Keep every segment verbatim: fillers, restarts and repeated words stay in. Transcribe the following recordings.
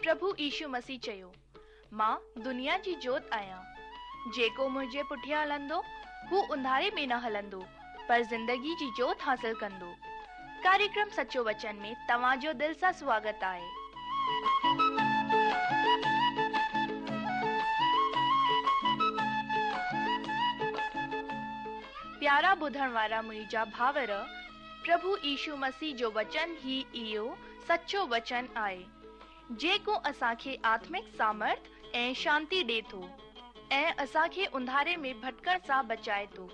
پرڀو يشو مسيح چيو، مان دنيا جي جوت آهيان. جيڪو منهنجي پٺيان هلندو، هو انڌاري ۾ نه هلندو، پر زندگي جي جوت حاصل ڪندو. ڪاريڪرم سچو وچن ۾ توهان جو دل سان سواگت آهي. پيارا ٻڌڻ وارا منهنجا ڀائر، پرڀو يشو مسيح جو وچن ئي اهو سچو وچن آهي، جيڪو اسان کي آتمڪ سامرٿ ۽ شانتي ڏي ٿو ۽ اسان کي انڌاري ۾ ڀٽڪڻ سان بچائي ٿو.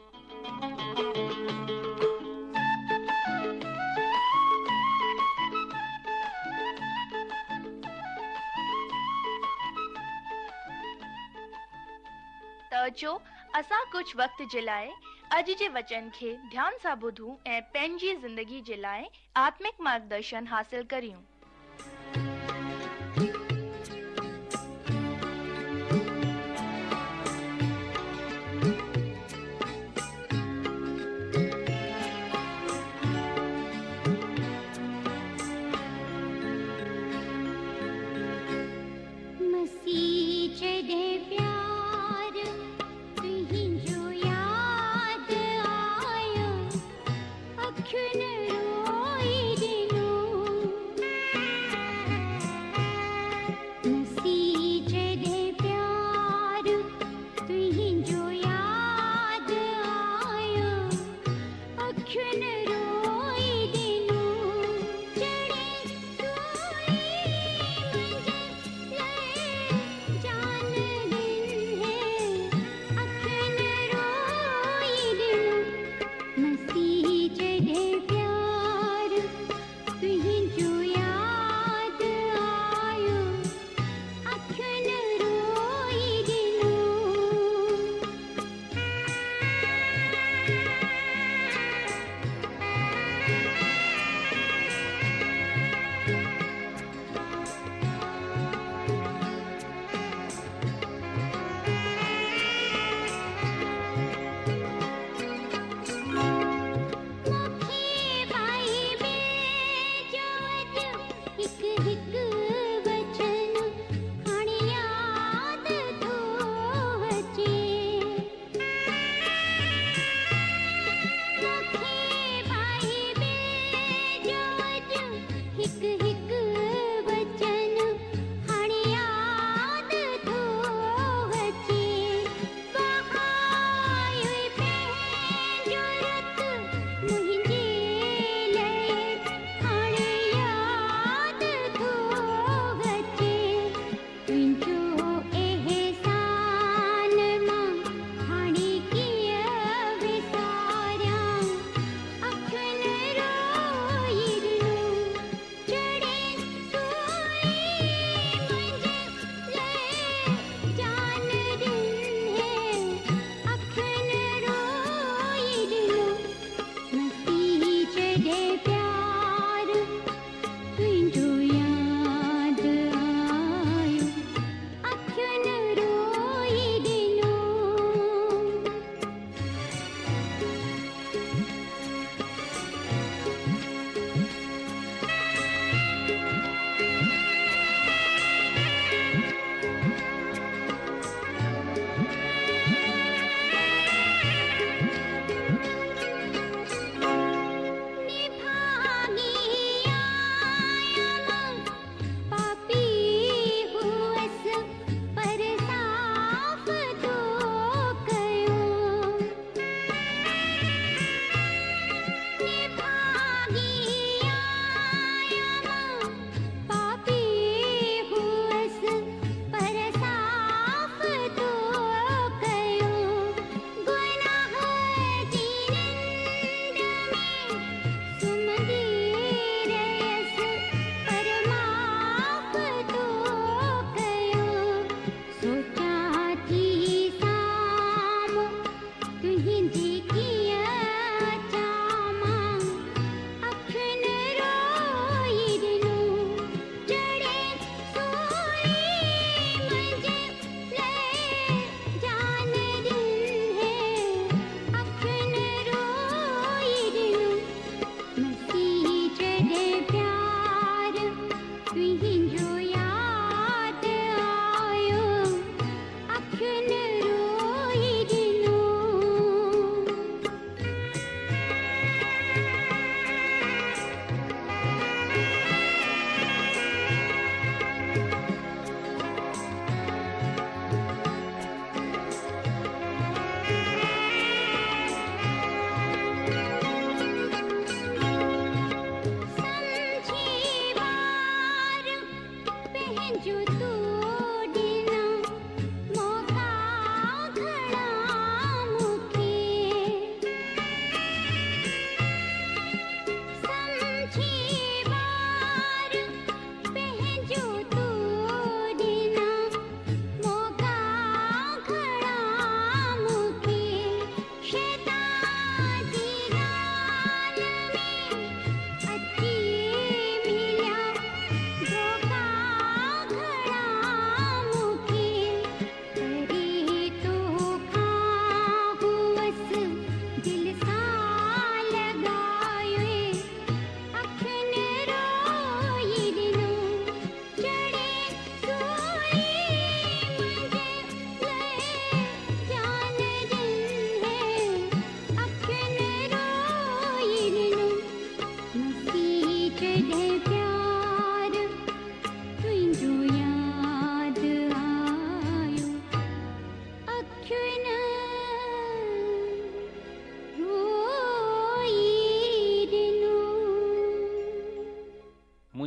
ته اچو اسان ڪجهه وقت جي لاء اڄ جي وچن کي ڌيان سان ٻڌون ۽ پنهنجي زندگي جي لاء آتمڪ مارگدرشن حاصل ڪريون. مسيح جڏهن پيار تنهنجو ياد آيو، اکين روئي ڏنو. مسيح جڏهن پيار تنهنجو ياد آيو، اکين روئي ڏنو. چڙهي سولي منهنجي لاءِ جان ڏني، اکين روئي ڏنو. مسيح جڏهن پيار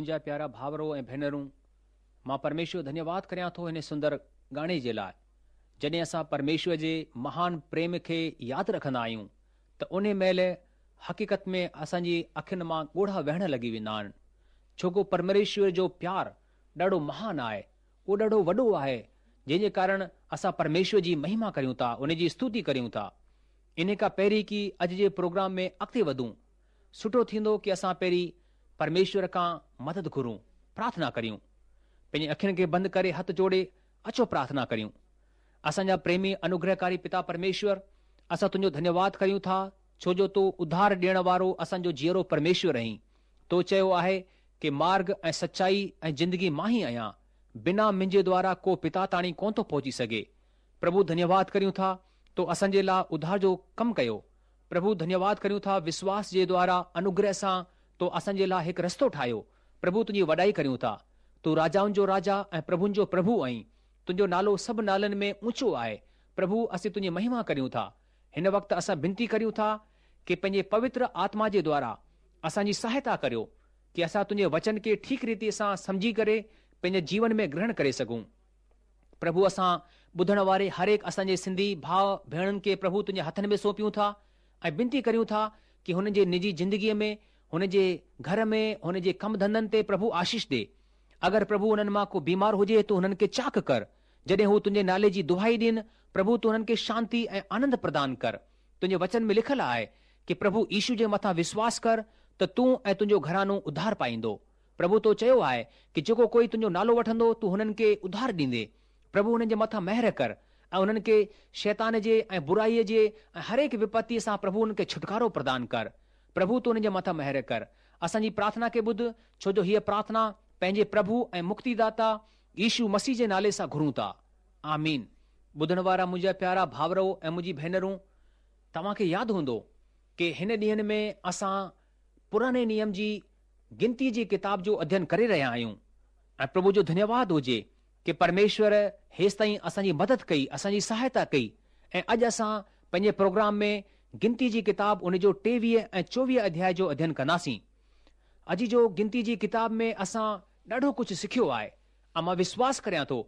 منهنجا پيارا ڀائرو ۽ ڀينرون، مان پرميشور جو ڌنيواد ڪريان ٿو هن سندر گاني جي لاء. جڏهن اسان پرميشور جي مهان پريم کي ياد رکندا آهيون ته انهي مهل حقيقت ۾ اسان جي اکين مان ڳوڙها وهڻ لڳي ويندا آهن. ڇو ڪو پرميشور جو پيار ڏاڍو مهان آهي، اهو ڏاڍو وڏو آهي، جنهن جي ڪارڻ اسان پرميشور جي مهما ڪريون ٿا، ان جي استوتي ڪريون ٿا. انهي کان پهرين ڪي اڄ جي پروگرام ۾ اڳتي وڌون، سٺو ٿيندو ڪي اسان پهرين پرميشور کان مدد گهرون، پرارٿنا ڪريون. پنهنجي اکين کي بند ڪري هٿ جوڙي اچو پرارٿنا ڪريون. اسان جا پريمي انوگرهڪاري پتا پرميشور، اسان تنهنجو ڌنيواد ڪريون ٿا، ڇو جو تون اڌار ڏيڻ وارو اسان جو جيئرو پرميشور آهين. تو چيو آهي ڪي مارگ ۽ سچائي ۽ زندگي مان ئي آهيان، بنا منهنجي دوارا ڪو پتا تاڻي ڪونه ٿو پهچي سگهي. پرڀو ڌنيواد ڪريون ٿا تو اسان جي لاء اڌار جو ڪم ڪيو. پرڀو ڌنيواد ڪريون ٿا وشواس جي دوارا انوگره سان تو اسان جي لاء هڪ رستو ٺاهيو. پرڀو تنهنجي وڏائي ڪريون ٿا. تون راجائن جو راجا ۽ پرڀن جو پرڀو آهين. تنهنجو نالو سڀ نالن ۾ اونچو آهي. پرڀو اسين تنهنجي مهما ڪريون ٿا. هن وقت اسان بنتي ڪريون ٿا ڪي پنهنجي پوتر آتما جي دوارا اسان جي سهائتا ڪريو ڪي اسان تنهنجي وچن کي ٺيڪ ريتي سان سمجهي ڪري پنهنجي جيون ۾ گرهڻ ڪري سگهون. پرڀو اسان ٻڌڻ واري هر هڪ اسان جي سنڌي ڀاء ڀيڻن کي پرڀو تنهنجي هٿن ۾ سونپيون ٿا ۽ بنتي ڪريون ٿا ڪي هنن جي نجي زندگيء ۾ هن جي گهر ۾ هن جي ڪم ڌنڌن تي پرڀو آشيش ڏي. اگر پرڀو هنن مان ڪو بيمار هجي ته هنن کي چاڪ ڪر. جڏهن هو تنهنجي نالي جي دهائي ڏين، پرڀو تون هنن کي شانتي ۽ آنند پردان ڪر. تنهنجي وچن ۾ لکيل آهي ڪي پرڀو يشو جي مٿان وشواس ڪر ته تون ۽ تنهنجو گهراڻو اڌار پائيندو. پرڀو تو چيو آهي ڪي جيڪو ڪوئي تنهنجو نالو وٺندو تون هنن کي اڌار ڏيندي. پرڀو هنن جي مٿان مهر ڪر ۽ هنن کي شيطان جي ۽ برائيء جي ۽ هر هڪ وپتيء سان پرڀو هنن کي ڇوٽڪارو پردان ڪر. پرڀو تون هنن جي مٿان مهر ڪر. اسان جي پرارٿنا کي ٻڌ، ڇو جو هيء پرارٿنا پنهنجي پرڀو ۽ مڪتيداتا يشو مسيح جي نالي سان گهرون ٿا. آمين. ٻڌڻ وارا منهنجا پيارا ڀائرو ۽ منهنجي ڀينرون، توهان کي ياد هوندو ڪي هن ڏينهن ۾ اسان پراڻي نيم جي گنتي جي ڪتاب جو اڌين ڪري رهيا آهيون ۽ پرڀو جو ڌنيواد هجي ڪي پرميشور هيستائين اسان جي مدد ڪئي، اسان جي سهائتا ڪئي ۽ اڄ اسان پنهنجي پروگرام ۾ گنتي جي ڪتاب ان جو ٽيويهه ۽ چوويهه اڌياء جو اڌين ڪنداسين. اڄ جو گنتي جي ڪتاب ۾ اسان ڏاڍو ڪجهه سکيو آهي ۽ مان وشواس ڪريان ٿو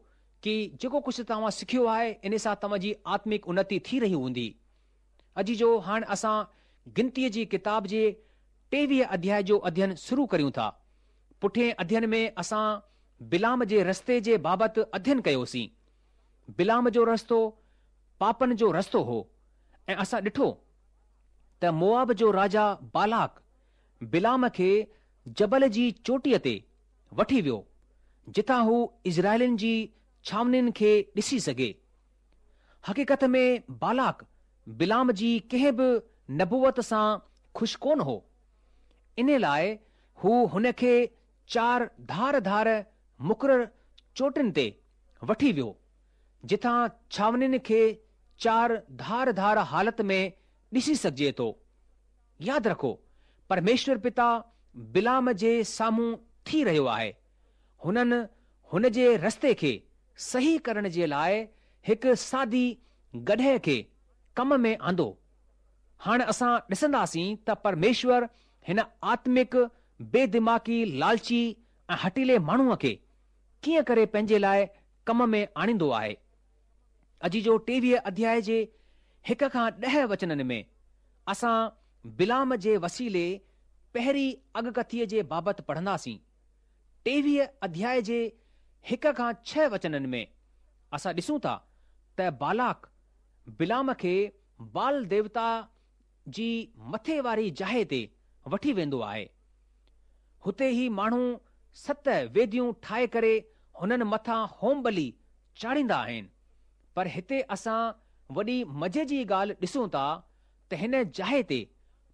ڪي جيڪو ڪجهه توهان سکيو آهي ان سان توهان جي آتمڪ انتي ٿي رهي هوندي. اڄ جو هاڻ اسان گنتي جي ڪتاب جي ٽيويهه اڌياء جو اڌين شروع ڪريون ٿا. پٺئين اڌين ۾ اسان بلام جي رستي جي بابت اڌين ڪيوسين. بلام جو رستو پاپن جو رستو هو ۽ اسان ڏٺو ته موآب جو راجا بالاڪ بلام کي جبل جي چوٽيء تي وٺي ويو جتان هو اسرائيلين جي ڇانوڻين کي ڏسي سگهي. حقيقت ۾ بالاڪ بلام جي ڪنهن به نبوت سان خوش ڪونه هو. ان لاء هو هن کي چار ڌار ڌار مقرر چوٽين تي وٺي ويو، جتان ڇانوڻين کي چار ڌار ڌار حالت ۾ ڏسي سگهجي ٿو. ياد رکو، پرميشور پتا بلام جي سامهون ٿي رهيو آهي. هنن هن جي رستي کي صحيح ڪرڻ جي لاء هڪ سادي گڏهه کي ڪم ۾ آندو. هاڻ اسان ڏسنداسين ته پرميشور هن آتمڪ بي دماغي لالچي ۽ هٺيلي ماڻهوء کي ڪيئن ڪري پنهنجي لاء ڪم ۾ آڻيندو آهي. اڄ جو ٽيويهه اڌياء جي هڪ کان ڏهه وچنن ۾ اسان بلام جي وسيلي پهرين اڳڪٿيء جي بابت پڙهنداسين. ٽيويهه اڌياء جي هڪ کان ڇهه وچنن ۾ اسان ڏسون ٿا ته بالاڪ بلام کي بال ديوتا جي مٿي واري جاء تي وٺي ويندو آهي. هتي هي ماڻهو ست ويديون ٺاهي ڪري هنن مٿان هوم ٻلي چاڙهيندا آهن. پر هتي اسان وڏي مزي جي ڳالهه ڏسون ٿا ته هن جاء تي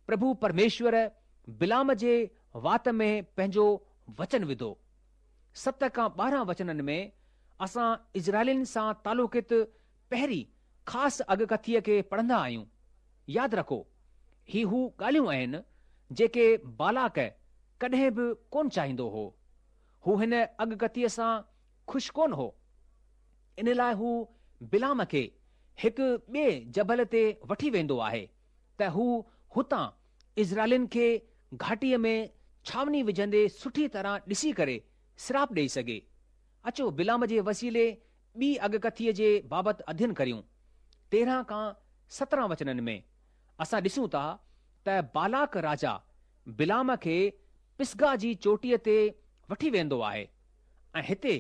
پرڀو پرميشور بلام جي وات ۾ پنهنجو وچن وڌو. ست کان ٻارهن وچنن ۾ اسان اسرائيلين سان تعلقت پهرين خاص اڳڪٿيء کي پڙهندا آهيون. ياد رکو، هي هو ڳالهيون آهن جيڪي بالاڪ ڪڏهن به ڪونه چاهيندو هو. هو هن اڳڪٿيء سان خوش ڪونه هو. ان لاء هو بلام کي هڪ ٻئي جبل تي وٺي ويندو آهي ته هو هتان اسرائيلين کي گهاٽيء ۾ ڇانوڻي وجهندي سٺي طرح ڏسي ڪري سراپ ڏيئي سگهي. اچو بلعام جي وسيلي ٻي اڳڪٿيء جي بابت اڌين ڪريون. تيرهن کان سترهن وچنن ۾ اسان ڏسون ٿا ته بالاڪ راجا بلعام کي پسگا جي چوٽيء تي وٺي ويندو آهي ۽ هتي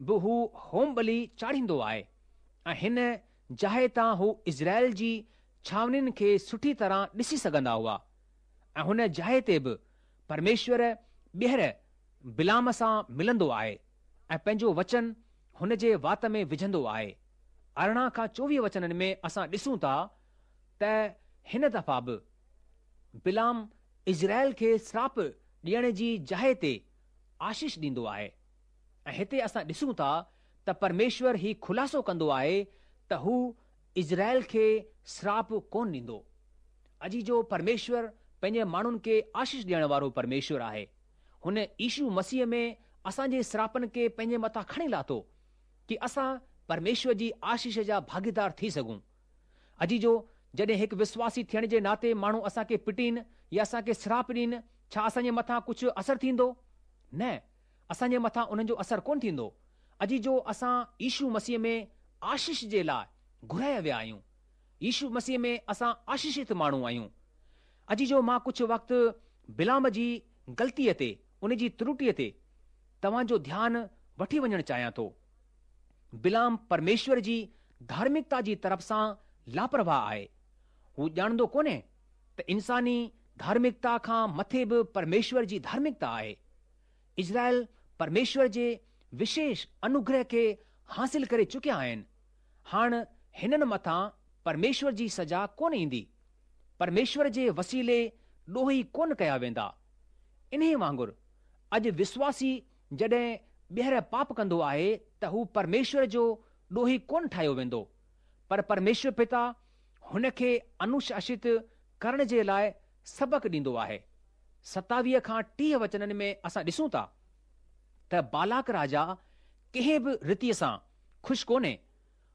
به هو هوم ٻلي چاڙهيندو آهي ۽ هن جاءِ تان هو اسرائيل جي ڇانوڻين کي سٺي طرح ڏسي سگهندا هئا ۽ هن جاءِ تي به پرميشور ٻيهر بلعام سان ملندو آهي ۽ پنهنجو وچن هن جي وات ۾ وجهندو آهي. ارڙهن کان چوويهه وچنن ۾ اسان ڏسون ٿا ته هن دفعا به بلعام اسرائيل کي سراپ ڏيڻ جي جاءِ تي آشيش ڏيندو آهي ۽ هتي اسان ڏسون ٿا ته پرميشور هي خلاصو ڪندو آهي ته هو اسرائيل کي سراپ ڪونه ڏيندو. عزيزو پرميشور پنهنجي ماڻهن کي آشيش ڏيڻ وارو پرميشور آهي. هن يشو مسيح ۾ اسان جي سراپن کي پنهنجي مٿان کڻي لاٿو ڪي اسان پرميشور جي آشيش جا ڀاڳيدار ٿي سگهون. عزيزو جڏهن هڪ وشواسي ٿيڻ جي ناتي ماڻهو اسان کي پٽين يا اسان کي سراپ ڏين، ڇا اسان جي مٿان ڪجهه اثر ٿيندو؟ نه، اسان جي مٿان انهن جو اثر ڪونه ٿيندو. عزيزو اسان يشو مسيح ۾ آشيش جي لاءِ گهرايا ويا آهيون. يشو مسيح ۾ اسان آشيشت ماڻهو آهيون. عزيزو مان ڪجهه وقت بلعام جي غلطيءَ تي، ان جي ترٽيءَ تي توهان جو ڌيان وٺي وڃڻ چاهيان ٿو. بلعام پرميشور جي ڌارمڪتا جي طرف سان لاپرواهه آهي. هو ڄاڻندو ڪونهي ته انساني ڌارمڪتا کان مٿي به پرميشور جي ڌارمڪتا آهي. اسرائيل پرميشور جي وشيش انوگره کي حاصل ڪري چڪيا آهن. هاڻ هنن مٿان پرميشور جي سزا ڪونه ايندي. پرميشور جي وسيلي ڏوهي ڪونه ڪيا ويندا. انهيءَ وانگر اڄ وشواسي جڏهن ٻيهر پاپ ڪندو آهي ته هو پرميشور جو ڏوهي ڪونه ٺاهيو ويندو، پر پرميشور پتا هن کي انوشاست ڪرڻ جي لاءِ سبق ڏيندو آهي. ستاويهه کان ٽيهه وچنن ۾ اسان ڏسون ٿا ته بالاڪ راجا ڪنهن به ريتيءَ سان خوش ڪونهي.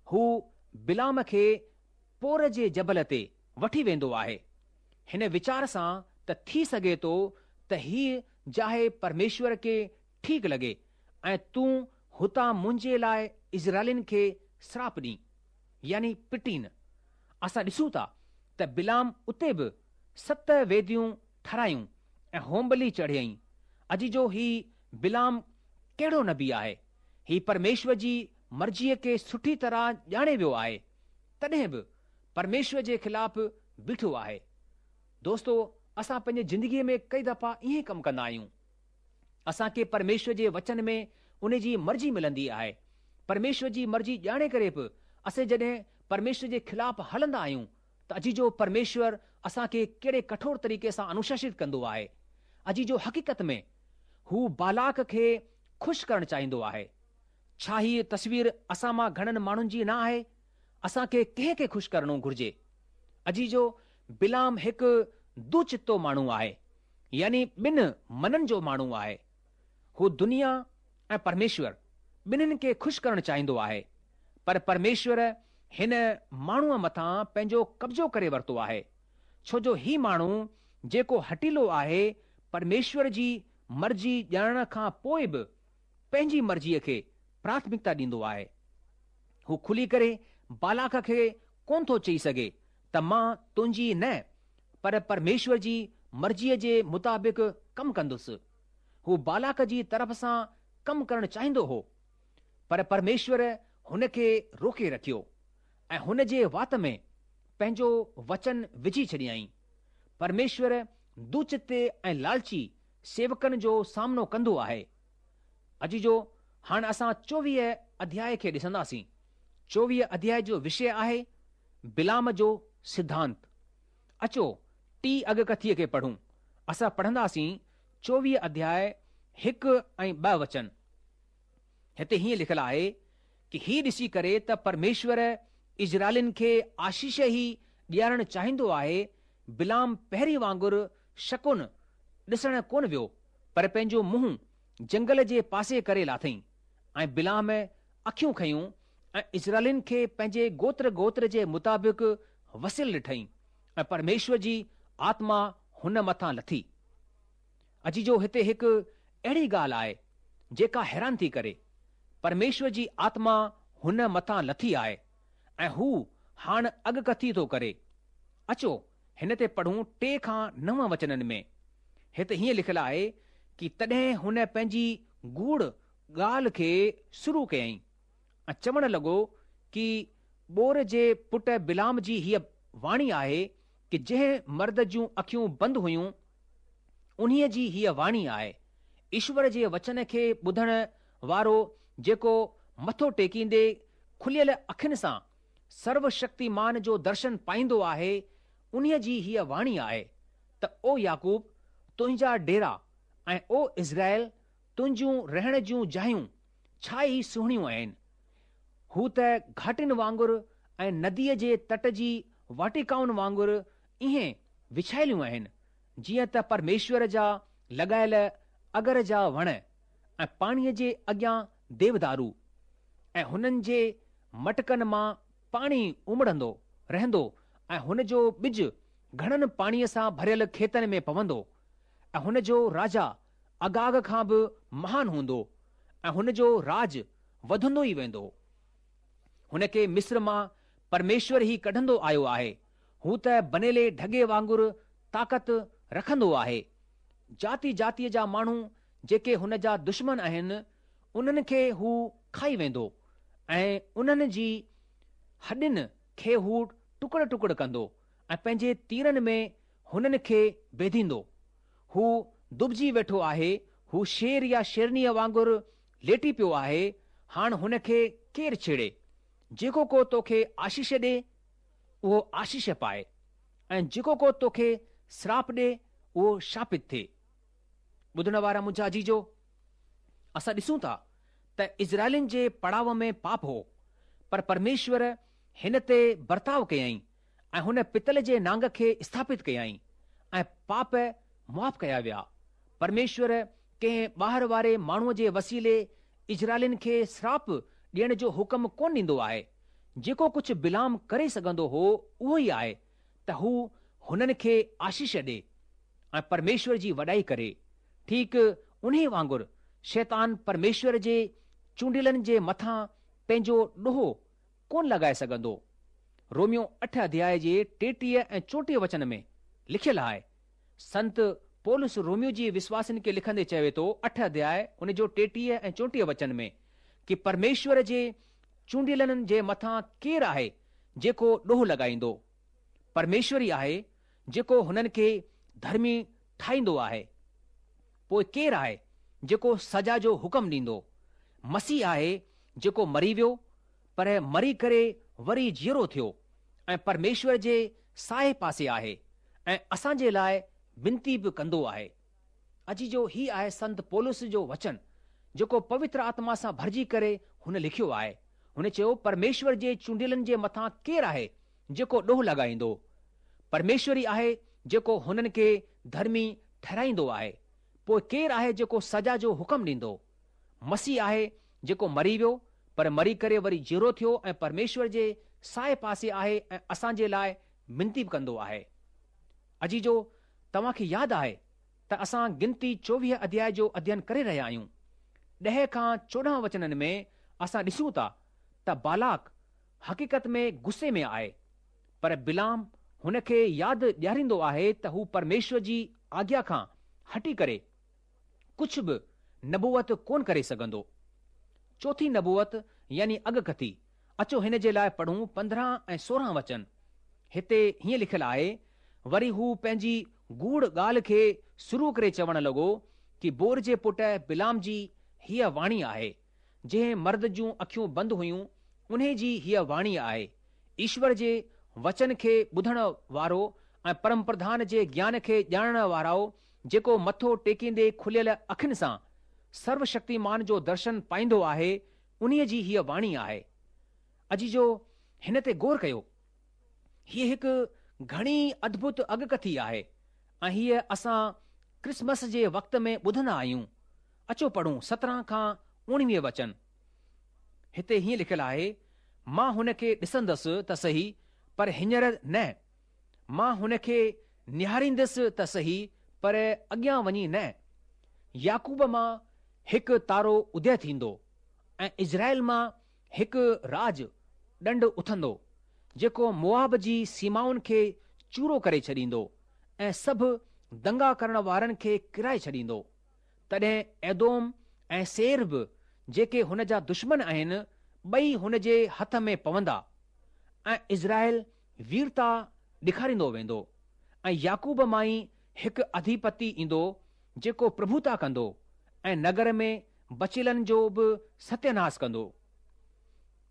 هو بلعام کي پور جي جبل تي وٺي ويندو آهي، هن ويچار سان ته ٿي سگهي ٿو ته هيءَ جاءِ پرميشور کي ٺيڪ لڳي ۽ تون هتان منهنجي لاءِ اسرائيلين کي سراپ ڏي، يعني پٽين. اسان ڏسون ٿا ته بلعام اتي به ست ويديون ٺهرايون ۽ هوم ٻلي چڙهيائين. عزيزو هي بلعام ڪهڙو نبي آهي؟ هي پرميشور جي مرضيءَ کي سٺي طرح ڄاڻي ويو آهي، تڏهن به پرميشور جي خلاف بيٺو آهي. دوستو، اسان پنهنجي زندگيءَ ۾ ڪئي دفعا ائين ڪم ڪندا آهيون. اسان کي پرميشور جي وچن ۾ ان جي مرضي ملندي آهي. پرميشور جي مرضي ڄاڻي ڪري به اسين جڏهن پرميشور جي خلاف هلندا آهيون ته عزيزو پرميشور اسان کي ڪهڙي ڪٺور طريقي سان انوشاست ڪندو آهي. عزيزو حقيقت ۾ هو بالاڪ کي خوش ڪرڻ چاهيندو آهي. ڇا هيءَ تصوير اسان مان گهڻن ماڻهن جي نه آهي؟ اسان کي ڪنهن کي خوش ڪرڻو گهرجي؟ عزيزو بلعام هڪ دوچتو ماڻهو آهي، يعني ٻن منن جو ماڻهو آهي. هو دنيا ۽ پرميشور ٻنهن کي خوش ڪرڻ چاهيندو آهي، پر پرميشور هن ماڻهوءَ مٿان پنهنجو قبضو ڪري ورتو آهي، ڇو جو هي ماڻهو جيڪو هٺيلو آهي پرميشور جي مرضي ڄاڻڻ کان پوءِ به پنهنجي مرضيءَ کي پراٿمڪتا ڏيندو آهي. هو کلي ڪري بالاڪ کي ڪونه ٿو چئي سگهي ته مان تنهنجي نه پر پرميشور جي مرضيءَ جي مطابق ڪم ڪندس. هو بالاڪ جي طرف سان ڪم ڪرڻ چاهيندو هو، پر پرميشور هن کي روڪي رکيو ۽ هن جي وات ۾ پنهنجو وچن وجهي ڇڏيائين. پرميشور دوچتي ۽ لالچي سيوڪن جو سامنو ڪندو آهي. عزيزو هاڻ اسان چوويهه اڌياءِ کي ڏسنداسين. چوويهه اڌياءِ جو وشيه آهي بلعام جو سڌانت. اچو ٽي اڳڪٿيءَ کي پڙهون. اسان پڙهنداسين چوويهه اڌياءِ هڪ ۽ ٻه وچن. هتي هيئن لکيل آهي ڪه هي ڏسي ڪري ته پرميشور اسرائيلين کي آشيش ئي ڏيارڻ چاهيندو آهي، بلعام پهرين وانگر شڪن ڏسڻ ڪونه ويو، پر پنهنجو منهن جنگل جي پاسي ڪري لاٿئين. ۽ بلعام اکيون کنيون ۽ اسرائيلين کي پنهنجي گوتر گوتر جي مطابق وسيل ڏٺئين ۽ پرميشور جي آتما هن مٿان لٿي. عزيزو، هتي هڪ اهڙي ڳالهه آهي جيڪا حيران ٿي ڪري. پرميشور جي آتما هن مٿان لٿي آهي ۽ هو هاڻ اڳڪٿي ٿو ڪري. اچو هن تي پڙهون ٽي کان نو وچنن ۾. هتي هيئن لکيل آهي ڪي تڏهن هن پنهنجي گوڙ ڳالهه کي شروع ڪيائين ۽ چوڻ لڳو ڪي بور جي پٽ بلعام جي هيء واڻي آهي ڪي جنهن مرد جون اکيون بند هيون انهيء جي هيء واڻي آهي. ايشور جي وچن کي ٻڌڻ وارو جيڪو مٿو ٽيڪيندي کليل اکين سان سرو شڪتيمان جو درشن پائيندو آهي، انهيء جي هيء واڻي آهي ته او يعقوب، تنهنجا ڊيرا ۽ او اسرائيل، تنهنجون رهڻ جون جايون ڇا ئي سهڻيون آهن. هو ته گهاٽين وانگر ۽ نديء جي تٽ جي واٽيڪائن وانگر ائين وڇايليون آهن، جيئن ته پرميشور جا لڳايل اگر جا وڻ ۽ پاڻيء جي اڳيان ديودارو، ۽ هنن جي مٽڪن مان پاڻي امڙندو رهندو ۽ هن جو ٻج گهڻن پاڻيء سان ڀريل کيتن ۾ پوندو، ۽ هن جو راجا اگاگ کان به مهان هوندو، ۽ هن جو راڄ وڌندو ئي ويندو. هن کي مصر مان پرميشور ئي ڪڍندو آيو آهي. هو ته بنيلي ڍڳي وانگر طاقت رکندو آهي. جاتي جاتيء جا ماڻهو جيڪي هن جا دشمن آهن، انهن کي هو کائي ويندو ۽ انهن جي هڏين کي هو ٽڪڙ ٽڪڙ ڪندو ۽ پنهنجي تيرن ۾ هنن کي بيڌيندو. هو دٻجي ويٺو آهي، هو شير يا شيرنيء وانگر ليٽي پيو آهي، هاڻ هن کي ڪير ڇيڙي؟ جيڪو ڪو توکي آشيش ڏي، اهو آشيش پائي ۽ جيڪو ڪو توکي سراپ ڏي، اهو شاپت ٿئي. ٻڌڻ وارا منهنجا عزيزو، اسان ڏسون ٿا ته اسرائيلين جي پڙاو ۾ پاپ هو، پر پرميشور هن تي برتاء ڪيائين ۽ هن پتل جي نانگ کي اسٿاپت ڪيائين ۽ پاپ معاف ڪيا ويا. پرميشور ڪنهن ٻاهر واري ماڻهوء جي وسيلي اسرائيلين کي سراپ ڏيڻ جو حڪم ڪونه ڏيندو آهي. جيڪو ڪجهه بلعام ڪري سگهندو هو اهو ئي آهي ته هو هنن کي آشيش ڏي ۽ پرميشور جي وڏائي ڪري. ٺيڪ انهي وانگر شيطان پرميشور جي چونڊيلن جي مٿان پنهنجو ڏوهه ڪونه لڳائي سگهندو. روميو اٺ اڌياء جي ٽيٽيهه ۽ چوٽيهه وچن ۾ لکيل آهي. سنت پولس روميو جي وشواسين کي لکندي چوي ٿو اٺ اڌياء ان جو ٽيٽيهه ۽ چوٽيهه وچن ۾ ڪي پرميشور جي چونڊيلن جي مٿان ڪير آهي جيڪو ڏوهه لڳائيندو؟ پرميشور ئي آهي جيڪو هنن کي ڌرمي ٺاهيندو آهي. پوء ڪير آهي جيڪو سزا جو حڪم ڏيندو؟ مسيح آهي جيڪو مري ويو، پر مري ڪري وري جيئرو ٿيو ۽ پرميشور جي ساڄي پاسي آهي ۽ اسان جي لاء وينتي به ڪندو آهي. عزيزو هي آهي سنت پولس جو وچن جيڪو پوتر آتما سان ڀرجي ڪري هن لکيو آهي. هن چيو پرميشور جي چونڊيلن جي مٿان ڪير آهي جيڪو ڏوهه لڳائيندو؟ پرميشور ئي آهي جيڪو هنن کي ڌرمي ٺهرائيندو آهي. پوء ڪير آهي جيڪو سزا جو حڪم ڏيندو؟ مسيح آهي جيڪو مري ويو، پر مري ڪري وري جيئرو ٿيو ۽ پرميشور جي ساڄي پاسي آهي ۽ اسان جي لاء منتي به ڪندو آهي. عزيزو، توهان کي ياد آهي ته اسان گنتي چوويهه اڌياء جو اڌيين ڪري رهيا آهيون. ڏهه کان چوڏهن وچنن ۾ اسان ڏسون ٿا ته بالاڪ حقيقت ۾ غصي ۾ آهي، پر بلعام هن کي ياد ڏياريندو آهي ته هو پرميشور جي آگيا کان هٽي ڪري ڪجهه به نبوت ڪونه ڪري سگهندو. چوٿين نبوت يعني اڳڪٿي، اچو هن جي لاء پڙهون پندرهن ۽ سورهن وچن. هتي هيئن لکيل آهي، وري هو پنهنجي گوڙ ڳالهه کي شروع ڪري چوڻ لڳو ڪي بور جي پٽ بلعام جي هيء واڻي آهي، جنهن مرد جون اکيون بند هيون، انهي جي هيء واڻي آهي، ايشور جي وچن کي ٻڌڻ وارو ۽ پرمپرڌان جي گيان کي ڄاڻڻ وارو، جيڪو مٿو ٽيڪيندي کليل اکين سان سروشڪتيمان جو درشن پائيندو آهي، انهي جي هيء واڻي آهي. عزيزو، هن تي غور ڪيو. هيء هڪ گهڻي ادڀت اڳڪٿي آهي ۽ هيء اسان ڪرسمس جي وقت ۾ ٻڌندا آهيون. اچو پڙهون سترهن کان اوڻويهه وچن. هتي هيئن لکيل آهي، مان هن کي ڏسندس ته سهي، پر هينئر نه. مان هن کي نهاريندس ته سهي، پر اڳيان وڃي نه. يعقوب مان هڪ تارو ادي ٿيندو ۽ اسرائيل مان هڪ راج ڏنڊ اٿندو، جيڪو موآب جي سيمائن کي چورو ڪري ڇڏيندو ۽ سڀ دنگا ڪرڻ وارن کي ڪيرائي ڇڏيندو. تڏهن ايدوم ۽ سيعير به جيڪي هن جا دشمن آهن، ٻئي هن جي هٿ ۾ پوندا ۽ اسرائيل ويرتا ڏيکاريندو ويندو ۽ يعقوب مان ئي هڪ اڌيپتي ايندو جيڪو پرڀوتا ڪندو ۽ نگر ۾ بچيلن جو به ستياناس ڪندو.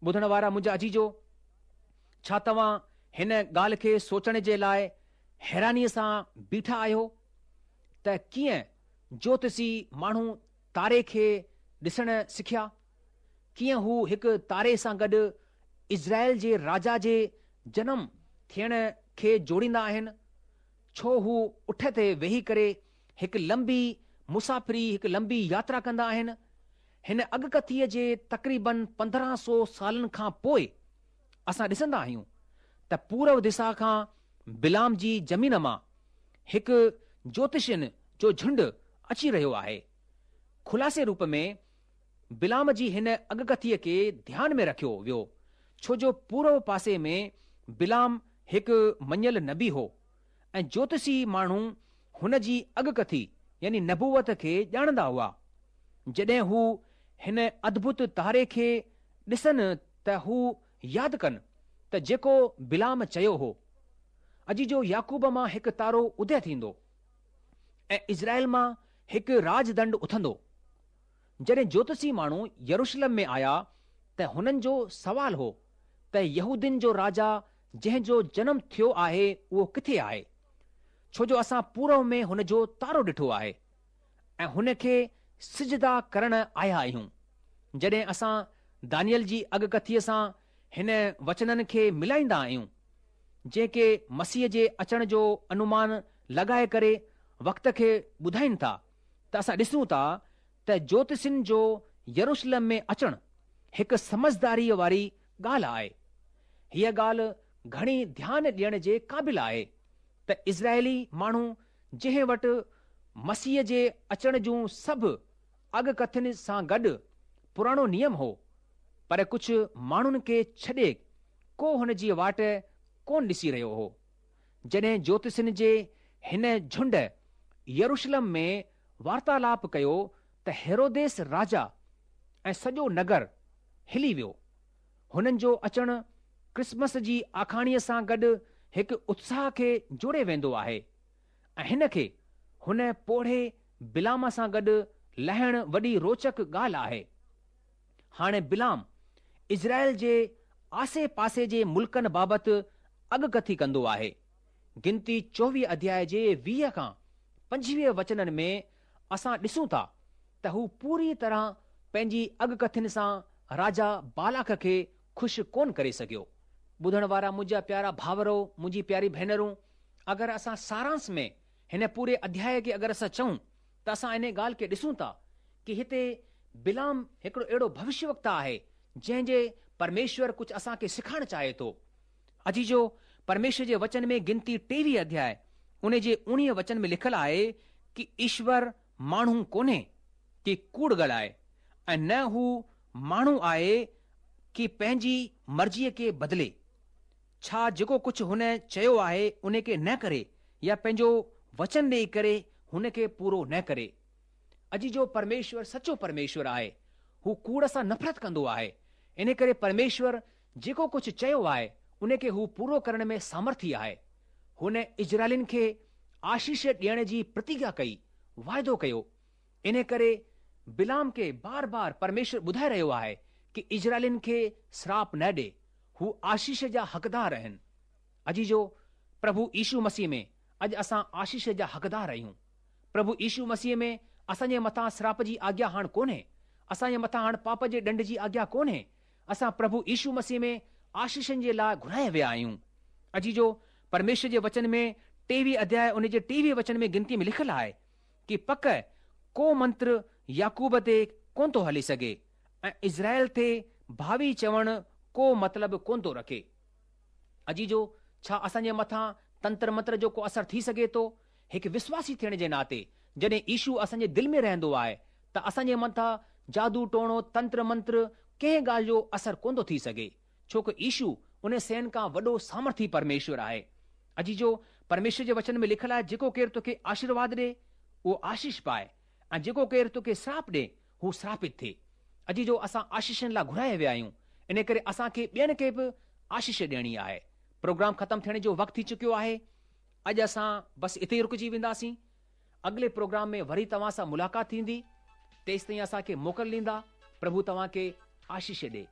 ٻڌڻ وارا منهنجا عزيزو، ڇا توهان هن ڳالهه کي سوچڻ جي لاء حيرانيء سان بيٺا آهيو ته ڪيئن جوتشي ماڻهو تاري کي ڏسڻ سکيا؟ ڪيئن هو هڪ تاري سان گڏ اسرائيل جي راجا جي جنم ٿيڻ کي جوڙيندا آهن؟ ڇو هو اٺ تي ويهي ڪري هڪ لمبي مسافري هڪ لمبي ياترا ڪندا آهن؟ هن اڳڪٿيء جي تقريبن پندرهن سو سالن کان پوء اسان ڏسندا آهيون ته پورو دشا کان بلعام جي زمين مان هڪ جوتشين جو جهنڊ اچي رهيو آهي. خلاصي روپ ۾ بلعام جي هن اڳڪٿيء کي ڌيان ۾ رکيو ويو ڇو جو پورو پاسي ۾ بلعام هڪ مڃيل نبي هو ۽ جوتشي ماڻهو هن جي اڳڪٿي يعني نبوت کي ڄاڻندا هئا. جڏهن هو هن ادڀت تاري کي ڏسن ته هو ياد ڪن ته جيڪو بلعام چيو هو. عزيزو يعقوب مان هڪ تارو ادي ٿيندو ۽ اسرائيل مان هڪ راجدنڊ اٿندو. جڏهن جوتشي ماڻهو يروشلم ۾ آيا ته هنن جو سوال هو ته يهودين جو راجا جنهن جو جنم ٿيو آهي اهو ڪٿي آهي؟ ڇو جو اسان پورو ۾ هن جو تارو ڏٺو آهي ۽ هن کي سجدا ڪرڻ آيا آهيون. جڏهن اسان دانيل جي اڳڪٿيء سان هن وچنن کي ملائيندا آهيون، جيڪي مسيح جي اچڻ جو انومان لڳائي ڪري وقت کي ٻڌائين ٿا ته اسان ڏسون ٿا ته جوتشين جو يروشلم ۾ اچڻ هڪ سمجهداريء واري ڳالهه آهي. هيء ڳالهه گهڻي ڌيان ڏيڻ جي قابل آهي ته اسرائيلي ماڻهو جنهن وٽ مسيح جي اچڻ جون سڀ اڳڪٿين سان گڏ پراڻو نيم هو، پر ڪجهه ماڻهن کي ڇڏي ڪو هن جي واٽ ڪونه ڏسي رهيو هو. جڏهن جوتشين جي هن جهنڊ يروشلم ۾ وارتالاپ ڪيو ته هيروديس راجا ۽ سڄو نگر هلي ويو. هنن جو اچڻ ڪرسمس جي آکاڻيء سان گڏ هڪ اتساهه کي جوڙي ويندو آهي ۽ هن کي هن پوڙهي بلعام سان گڏ لهڻ وڏي روچڪ ڳالهه آهي. هاڻي بلعام اسرائيل جي آسي پاسي جي ملڪن بابت اڳڪٿي ڪندو آهي. گنتي چوويهه اڌياء جي ويهه کان پنجويهه وچنن ۾ اسان ڏسون ٿا ته هو پوري طرح پنهنجي اڳڪٿين سان راجا بالاڪ کي خوش ڪونه ڪري سگهيو. ٻڌڻ وارا منهنجا پيارا ڀائرو، منهنجي پياري ڀينرون، اگر اسان سارانش ۾ هن پوري اڌياء کي اگر اسان چئون ته اسان انهي ڳالهه کي ڏسون ٿا ڪي هتي بلعام هڪڙو اهڙو ڀوشيه وڪتا آهي جنهن جي پرميشور ڪجهه اسان کي سکائڻ چاهي ٿو. عزيزو، پرميشور جي وچن ۾ گنتي ٽيويهه اڌياء ان جي اوڻيهه وچن ۾ لکيل آهي ڪي ايشور ماڻهو ڪونهي ڪي ڪوڙ ڳالهائي ۽ نه هو ماڻهو آهي ڪي پنهنجي مرضيء کي بدلي. ڇا جيڪو ڪجهه هن چيو آهي ان کي نه ڪري يا پنهنجو وچن ڏيئي ڪري هن کي پورو نه ڪري. عزيزو پرميشور سچو پرميشور آهي. هو ڪوڙ سان نفرت ڪندو آهي. ان ڪري پرميشور جيڪو ڪجهه چيو آهي ان کي هو پورو ڪرڻ ۾ سامرٿي آهي. هن اسرائيلين کي آشيش ڏيڻ جي پرتگيا ڪئي، واعدو ڪيو. ان ڪري بلعام کي بار بار پرميشور ٻڌائي رهيو آهي ڪي اسرائيلين کي سراپ نه ڏي، هو آشيش جا حقدار آهن. عزيزو، پرڀو يشو مسيح ۾ اڄ اسان آشيش جا حقدار آهيون. پرڀو يشو مسيح ۾ اسان جي مٿان سراپ جي آگيا هاڻ ڪونهي. اسان جي مٿان هاڻ پاپ جي ڏنڊ جي آگيا ڪونهي. اسان پرڀو يشو مسيح ۾ آشيشن جي لاء گهرايا ويا آهيون. عزيزو، پرميشور جي وچن ۾ ٽيويهه اڌياء ان جي ٽيويهه وچن ۾ گنتي ۾ لکيل آهي ڪي پڪ ڪو منتر يعقوب تي ڪونه ٿو هلي سگهي ۽ اسرائيل تي ڀاوي چوڻ ڪو مطلب ڪونه ٿو رکي. عزيزو، ڇا اسان جي مٿان تنتر منتر جو ڪو اثر ٿي سگهي ٿو؟ هڪ وشواسي ٿيڻ جي ناتي جڏهن يشو اسان جي دل ۾ رهندو آهي ته اسان جي مٿان جادو ٽوڻو، تنتر منتر ڪنهن ڳالهه جو اثر ڪونه ٿو ٿي سگهي، ڇو ڪه يشو ان شين کان وڏو سامرٿي پرميشور آهي. عزيزو، پرميشور جي وچن ۾ لکيل آهي جيڪو ڪير توکي آشيرواد ڏي اهو آشيش پائي ۽ جيڪو ڪير توکي سراپ ڏي هو سراپت ٿئي. عزيزو، اسان آشيشن لاءِ گهرايا ويا آهيون، ان ڪري اسان کي ٻين کي به آشيش ڏيڻي آهي. پروگرام ختم ٿيڻ جو وقت ٿي چڪيو آهي. اڄ اسان بس اتي ئي رڪجي وينداسين. اڳلي پروگرام ۾ وري توهان سان ملاقات ٿيندي. تيستائين اسان کي موڪل ڏيندا. پرڀو توهان کي آشيش ڏي.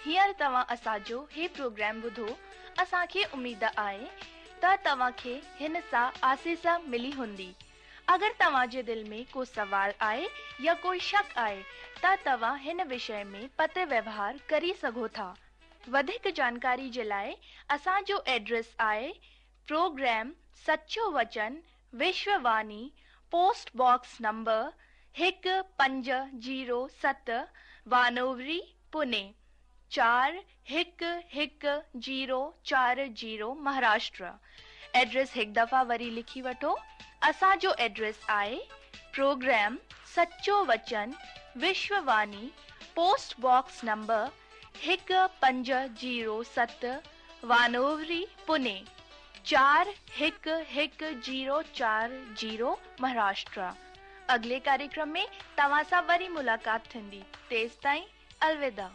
هينئر توهان اسان جو هي پروگرام ٻڌو. اسان کي اميد آهي ته توهان کي هن سان آسيس ملي هوندي. اگر توهان جي دل ۾ ڪو سوال آهي يا ڪوئي شڪ آهي ته توهان هن وشي ۾ پتر ويوهار ڪري سگهو ٿا. وڌيڪ جانڪاري جي لاءِ اسان جو ايڊريس آهي پروگرام سچو وچن، وشوواني، پوسٽ باڪس نمبر هڪ پنج زيرو ست، وانووري، پوني چار هڪ هڪ زيرو چار زيرو، مهاراشٽر. ايڊريس هڪ دفعا وري لکي وٺو. اسان جو ايڊريس آهي پروگرام سچو وچن، وشوواني، پوسٽ باڪس نمبر هڪ پنج زيرو ست، وانووري، پوني چار هڪ هڪ زيرو چار زيرو، مهاراشٽر. اڳلي ڪاريڪرم ۾ توهان سان وري ملاقات ٿيندي. تيستائين الوداع.